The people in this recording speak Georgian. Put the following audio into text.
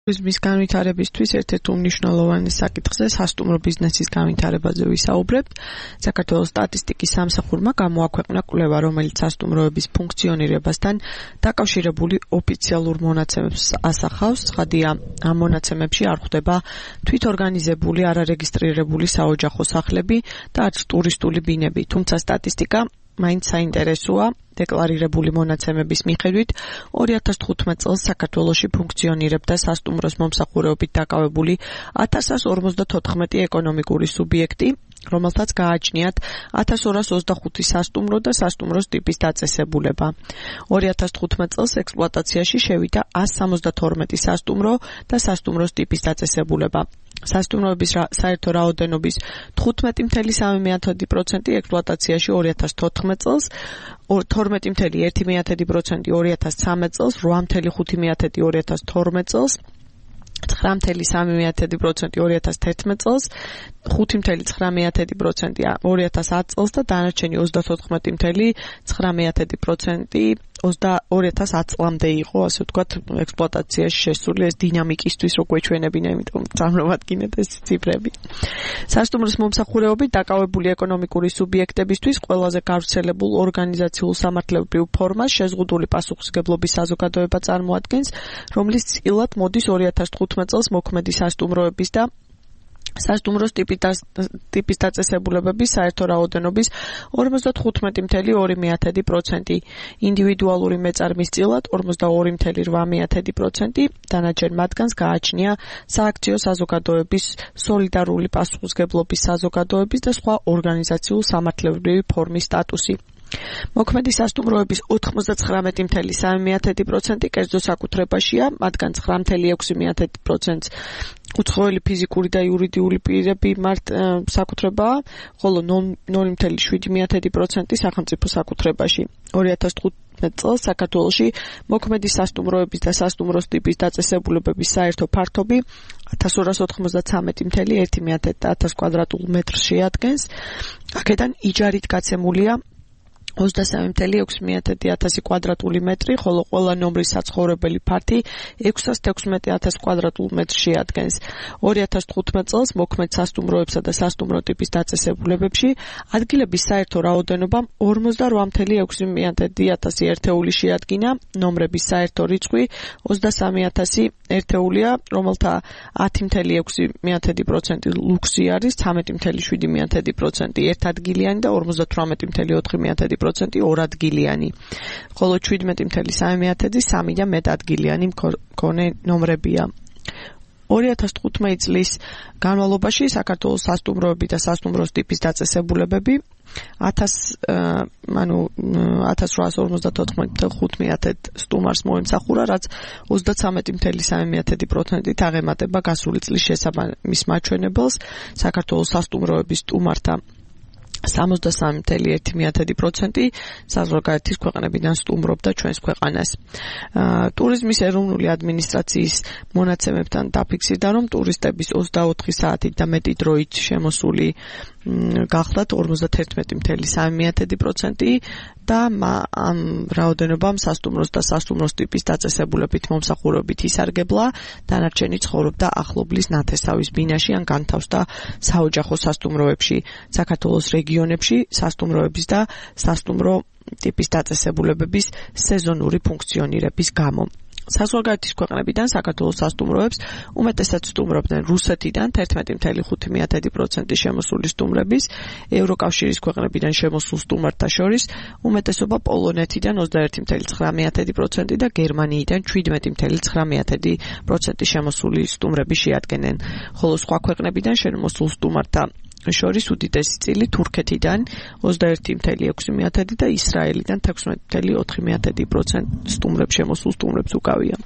ტურიზმის განვითარებისთვის ერთ-ერთ უმნიშვნელოვანეს საკითხზე სასტუმრო ბიზნესის განვითარებაზე ვისაუბრებთ. საქართველოს სტატისტიკის სამსახურმა გამოაქვეყნა კვლევა, რომელიც სასტუმროების ფუნქციონირებასთან დაკავშირებული ოფიციალურ მონაცემებს ასახავს. ცხადია, ამ მონაცემებში არ ხვდება თვითორგანიზებული არარეგისტრირებული საოჯახო სახლები და არც ტურისტული ბინები, თუმცა სტატისტიკა მაინც საინტერესოა. დეკლარირებული მონაცემების მიხედვით 2015 წელს საქართველოში ფუნქციონირებდა სასტუმროს მომსახურეობით დაკავებული 1154 ეკონომიკური სუბიექტი, რომელთაც გააჩნიათ 1225 სასტუმრო და სასტუმროს ტიპის დაწესებულება. 2015 წელს ექსპლუატაციაში შევიდა 172 სასტუმრო და სასტუმროს ტიპის დაწესებულება. სასტუმროების საერთო რაოდენობის 15.3% ექსპლუატაციაში 2014 წელს, 12.1% 2013 წელს, 8.5% 2012 წელს, 9.3% 2011 წელს, 5.9% 2010 წელს და დანარჩენი 34.9% 2010 წლამდე იყო, ასე ვთქვათ, ექსპლუატაციაში შესული. ეს დინამიკისთვის რო გვეჩვენებინა, იმიტომ წარმოვადგინეთ ეს ციფრები. სასტუმროს მომსახურეობით დაკავებული ეკონომიკური სუბიექტებისთვის ყველაზე გავრცელებულ ორგანიზაციულ სამართლებრივ ფორმას შეზღუდული პასუხისმგებლობის საზოგადოება წარმოადგენს, რომლის წილად მოდის 2015 წელს მოქმედი სასტუმროების და სასტუმროს ტიპის დაწესებულებების საერთო რაოდენობის 55.2%, ინდივიდუალური მეწარმის წილად 42.8%, დანარჩენ მათგანს გააჩნია სააქციო საზოგადოების, სოლიდარული პასუხისმგებლობის საზოგადოების და სხვა ორგანიზაციულ სამართლებრივი ფორმის სტატუსი. მოქმედი სასტუმროების 99.3% კერძო საკუთრებაშია, მათგან 9.6% უცხოელი ფიზიკური და იურიდიული პირები საკუთრებაა, ხოლო 0.7% სახელმწიფო საკუთრებაში. 2015 წელს საქართველოში მოქმედი სასტუმროების და სასტუმროს ტიპის დაწესებულებების საერთო ფართობი 1293.1 კვადრატულ მეტრს შეადგენს. აქედან იჯარით გაცემულია 23.600 კვადრატული მეტრი, ხოლო ყველა ნომრის საცხოვრებელი ფართი 616.000 კვადრატულ მეტრს შეადგენს. 2015 წელს მოქმედ სასტუმროებსა და სასტუმრო ტიპის დაწესებულებებში ადგილების საერთო რაოდენობა 48.600 ერთეული შეადგინა, ნომრების საერთო რიცხვი 23.000 ერთეულია, რომელთა 10.6% ლუქსი არის, 13.7% ერთადგილიანი და 58.4% ორადგილიანი, ხოლო 17.3% სამი და მეტადგილიანი მქონე ნომრებია. 2015 წლის განმავლობაში საქართველოს სასტუმროები და სასტუმროს ტიპის დაწესებულებები 1854 სტუმარს მოემსახურა, რაც 33.3%-ით აღემატება გასული წლის შესაბამის მაჩვენებელს. საქართველოს სასტუმროების სტუმართა 63.1% საზღვარგარეთის ქვეყნებიდან სტუმრობდა ჩვენს ქვეყანას. ტურიზმის ეროვნული ადმინისტრაციის მონაცემებთან დაფიქსირდა, რომ ტურისტების 24 საათით და მეტი დროით შემოსული გახლდათ 51.3% და ამ რაოდენობამ სასტუმროს და სასტუმროს ტიპის დაწესებულებით მომსახურებით ისარგებლა, დანარჩენი ცხოვრობდა ახლობლის ნათესავის ბინაში ან განთავსდა საოჯახო სასტუმროებში. საქართველოს რეგიონებში სასტუმროების და სასტუმრო ტიპის დაწესებულებების სეზონური ფუნქციონირების გამო. საზღვარგარეთის ქვეყნებიდან საქართველოს სასტუმროებს უმეტესად სტუმრობდნენ რუსეთიდან 11.5% შემოსული სტუმრების, ევროკავშირის ქვეყნებიდან შემოსულ სტუმართა შორის უმეტესობა პოლონეთიდან 21.9% და გერმანიიდან 17.9% შემოსული სტუმრები შეადგენენ, ხოლო სხვა ქვეყნებიდან შემოსულ სტუმართა შორის უდიდესი წილი თურქეთიდან 21.6% და ისრაელიდან 16.4% შემოსულ სტუმრებს უკავია.